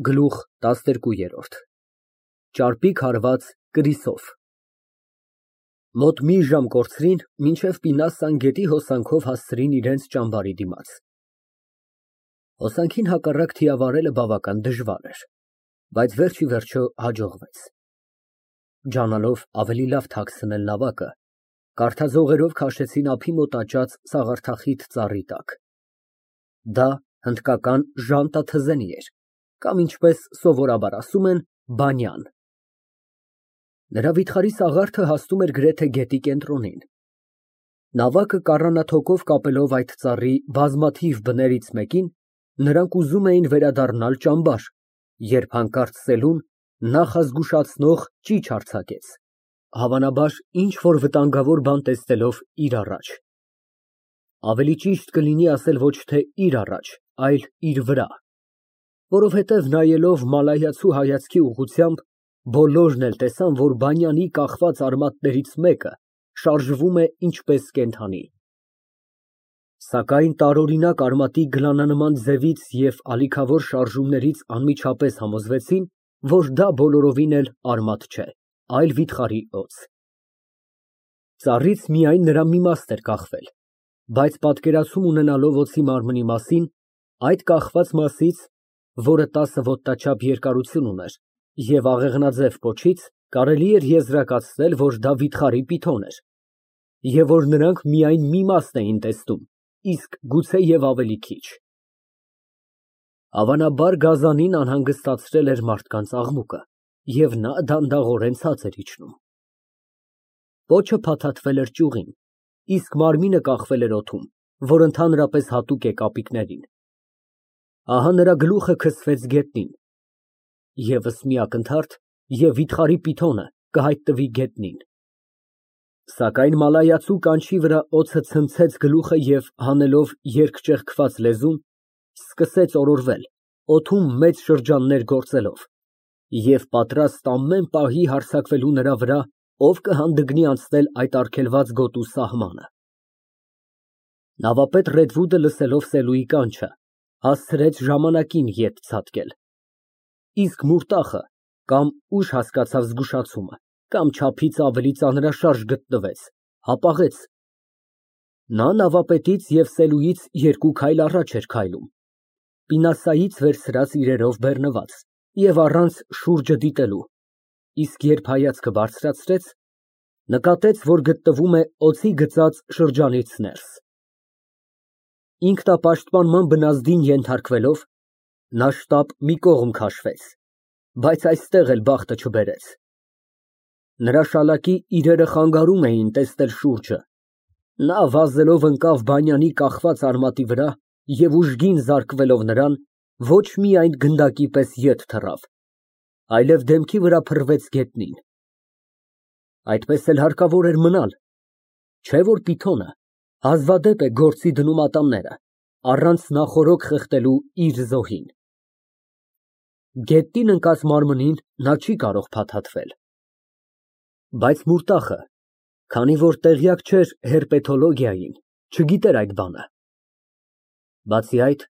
Գլուխ 12 Ճարպիկ հարված կրիսով Մոտ մի ժամ կորցրին, մինչև Պինասան գետի հոսանքով հասցրին իրենց ճամբարի դիմաց։ Հոսանքին հակառակ թիավարելը բավական դժվար էր, բայց վերջ ի վերջո հաջողվեց։ Ջանալով ավելի լավ թաքցնել նավակը, կարթաձողերով քաշեցին ափի մոտ աճած սաղարթախիտ ծառի տակ։ Դա հնդկական ժանտա թզենի էր, կամ ինչպես սովորաբար ասում են, բանյան։ Նրա վիթխարի սաղարթը հասնում էր գրեթե գետի կենտրոնին։ Նավակը կառանաթոկով կապելով այդ ծառի բազմաթիվ բներից մեկին, նրանք ուզում էին վերադառնալ ճամբար, երբ հանկարծ սելուն նախազգուշացնող ճիչ արձակեց, հավանաբար ինչ֊որ վտանգավոր բան տեսնելով իր առաջ։ Ավելի ճիշտ կլինի ասել ոչ թե իր առաջ, այլ իր վրա, որովհետև նայելով մալայացու հայացքի ուղղությամբ, բոլորն էլ տեսան, որ բանյանի կախված արմատներից մեկը շարժվում է ինչպես կենդանի։ Սակայն տարօրինակ արմատի գլանանման ձևից և ալիքավոր շարժումներից անմիջապես համոզվեցին, որ դա բոլորովին էլ արմատ չէ, այլ վիթխարի օձ։ Ծառից միայն նրա մի մասն էր կախվել, բայց պատկերացում ունենալով օձի մարմնի մասին, այդ կախված մասից, որը 10 ոտնաչափ երկարություն ուներ, և աղեղնաձև պոչից, կարելի էր եզրակացնել, որ դա վիթխարի պիթոն էր, և որ նրանք միայն մի մասն էին տեսնում, իսկ գուցեև ավելի քիչ։ Հավանաբար գազանին անհանգստացրել էր մարդկանց աղմուկը, և նա դանդաղորեն ցած էր իջնում։ Պոչը փաթաթվել էր ճյուղին, իսկ մարմինը կախվել էր օդում, որ ընդհանրապես հատուկ է կապիկներին։ Ահա նրա գլուխը քսվեց գետնին, ևս մի ակնթարթ, և վիթխարի պիթոնը կհայտնվի գետնին։ Սակայն մալայացու կանչի վրա օձը ցնցեց գլուխը և, հանելով երկճեղքված լեզուն, սկսեց օրորվել, օդում մեծ շրջաններ գործելով, և պատրաստ ամեն պահի հարձակվելու նրա վրա, ով կհանդգնի անցնել այդ արգելված գոտու սահմանը։ Նավապետ Ռեդվուդը, լսելով Սելուի կանչը, հասցրեց ժամանակին ետ ցատկել, իսկ Մուրտախը կամ ուշ հասկացավ զգուշացումը, կամ չափից ավելի ծանրաշարժ գտնվեց, հապաղեց։ Նա նավապետից և Սելուից 2 քայլ առաջ էր քայլում, Պինասայից վերցրած իրերով բեռնված և առանց շուրջը դիտելու, իսկ երբ հայացքը բարձրացրեց, նկատեց, որ գտնվում է օձի գծած շրջանից ներս։ Ինքնապաշտպանման բնազդին ենթարկվելով, նա շտապ մի կողմ քաշվեց, բայց այստեղ էլ բախտը չբերեց։ Նրա շալակի իրերը խանգարում էին տեսնել շուրջը, նա վազելով ընկավ բանյանի կախված արմատի վրա և ուժգին զարկվելով նրան, ոչ միայն գնդակի պես ետ թռավ, այլև դեմքի վրա փռվեց գետնին։ Այդպես էլ հարկավոր էր մնալ, չէ՞ որ պիթոնը հազվադեպ է գործի դնում ատամները, առանց նախօրոք խեղդելու իր զոհին։ Գետնին ընկած մարմնին նա չի կարող փաթաթվել։ Բայց Մուրտախը, քանի որ տեղյակ չէր հերպետոլոգիային, չգիտեր այդ բանը։ Բացի այդ,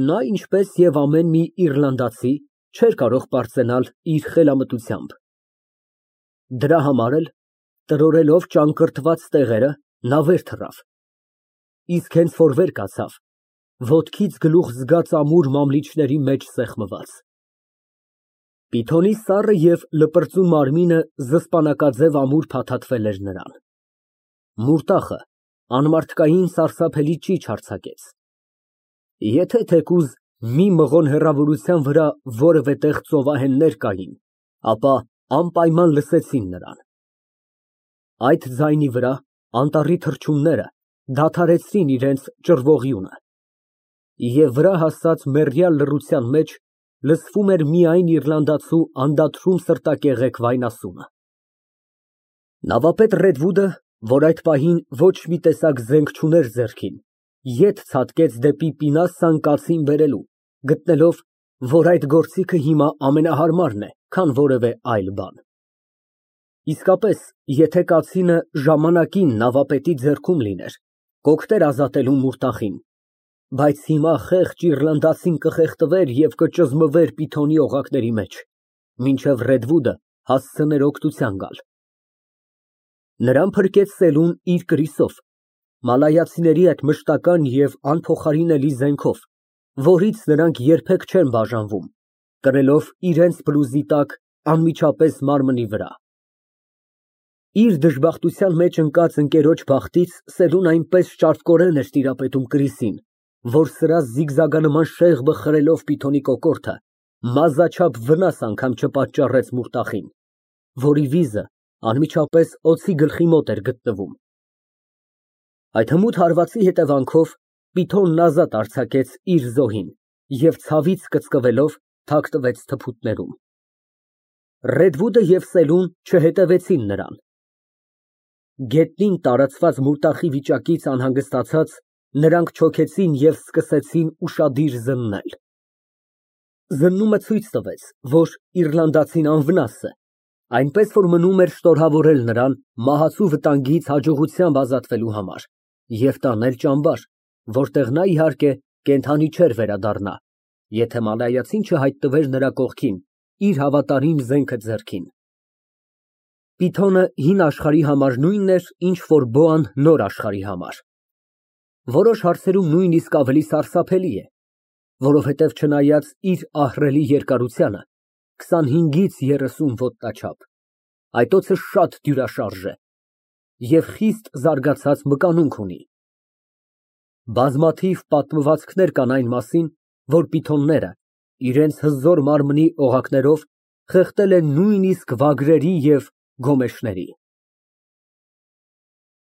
նա, ինչպես և ամեն մի իռլանդացի, չէր կարող պարծենալ իր խելամտությամբ։ Դրա համար էլ, տրորելով ճանկռտված տեղերը, նա վեր թռավ, իսկ հենց որ վեր կացավ, ոտքից գլուխ զգաց ամուր մամլիչների մեջ սեղմված։ Պիթոնի սառը և լպրծուն մարմինը զսպանակաձև ամուր փաթաթվել էր նրան։ Մուրտախը անմարդկային սարսափելի ճիչ արձակեց։ Եթե թեկուզ մի մղոն հեռավորության վրա որևէ տեղ ծովահեններ կային, ապա անպայման լսեցին նրան։ Այդ ձայնի վրա անտառի թռչունները դադարեցրին իրենց ճռվողյունը, և վրա հասած մեռյալ լռության մեջ լսվում էր միայն իռլանդացու անդադրում սրտակեղեք վայնասունը։ Նավապետ Ռեդվուդը, որ այդ պահին ոչ մի տեսակ զենք չուներ ձեռքին, ետ ցատկեց դեպի Պինասան կացին բերելու, գտնելով, որ այդ գործիքը հիմա ամենահարմարն է, քան որևէ այլ բան։ Իսկապես, եթե կացինը ժամանակին նավապետի ձեռքում լիներ, կօգներ ազատելու Մուրտախին, Բայց հիմա խեղճ իռլանդացին կխեղդվեր և կճզմվեր Պիթոնի օղակների մեջ, մինչև Ռեդվուդը հասցներ օգնության գալ։ Նրան փրկեց Սելուն իր կրիսով, մալայացիների այդ մշտական և անփոխարինելի զենքով, որից նրանք երբեք չեն բաժանվում, կրելով իրենց բլուզի տակ անմիջապես մարմնի վրա։ Իր դժբախտության մեջ ընկած ընկերոջ բախտից Սելուն այնպես ճարպկորեն էր տիրապետում կրիսին, որ սրա զիգզագանման շեղբը խրելով Պիթոնի կոկորդը, մազաչափ վնաս անգամ չպատճառեց Մուրտախին, որի վիզը անմիջապես օձի գլխի մոտ էր գտնվում։ Այդ հմուտ հարվածի հետևանքով Պիթոնն ազատ արձակեց իր զոհին և ցավից կծկվելով թաքնվեց թփուտներում։ Ռեդվուդը և Սելուն չհետևեցին նրան։ Գետնին տարածված Մուրտախի վիճակից անհանգստացած, նրանք չոքեցին և սկսեցին ուշադիր զննել։ Զննումը ցույց տվեց, որ իռլանդացին անվնաս է, այնպես որ մնում էր շնորհավորել նրան մահացու վտանգից հաջողությամբ ազատվելու համար և տանել ճամբար, որտեղ նա, իհարկե, կենդանի չէր վերադառնա, եթե մալայացին չհայտնվեր նրա կողքին իր հավատարիմ զենքը ձեռքին։ Պիթոնը հին աշխարհի համար նույնն էր, ինչ որ բոան նոր աշխարհի համար։ Որոշ հարցերում նույնիսկ ավելի սարսափելի է, որովհետև չնայած իր ահռելի երկարությանը, 25-ից 30 ոտնաչափ, այդ օձը շատ դյուրաշարժ է և խիստ զարգացած մկանունք ունի։ Բազմաթիվ պատմվածքներ կան այն մասին, որ պիթոնները իրենց հզոր մարմնի օղակներով խեղդել են նույնիսկ վագրերի և գոմեշների։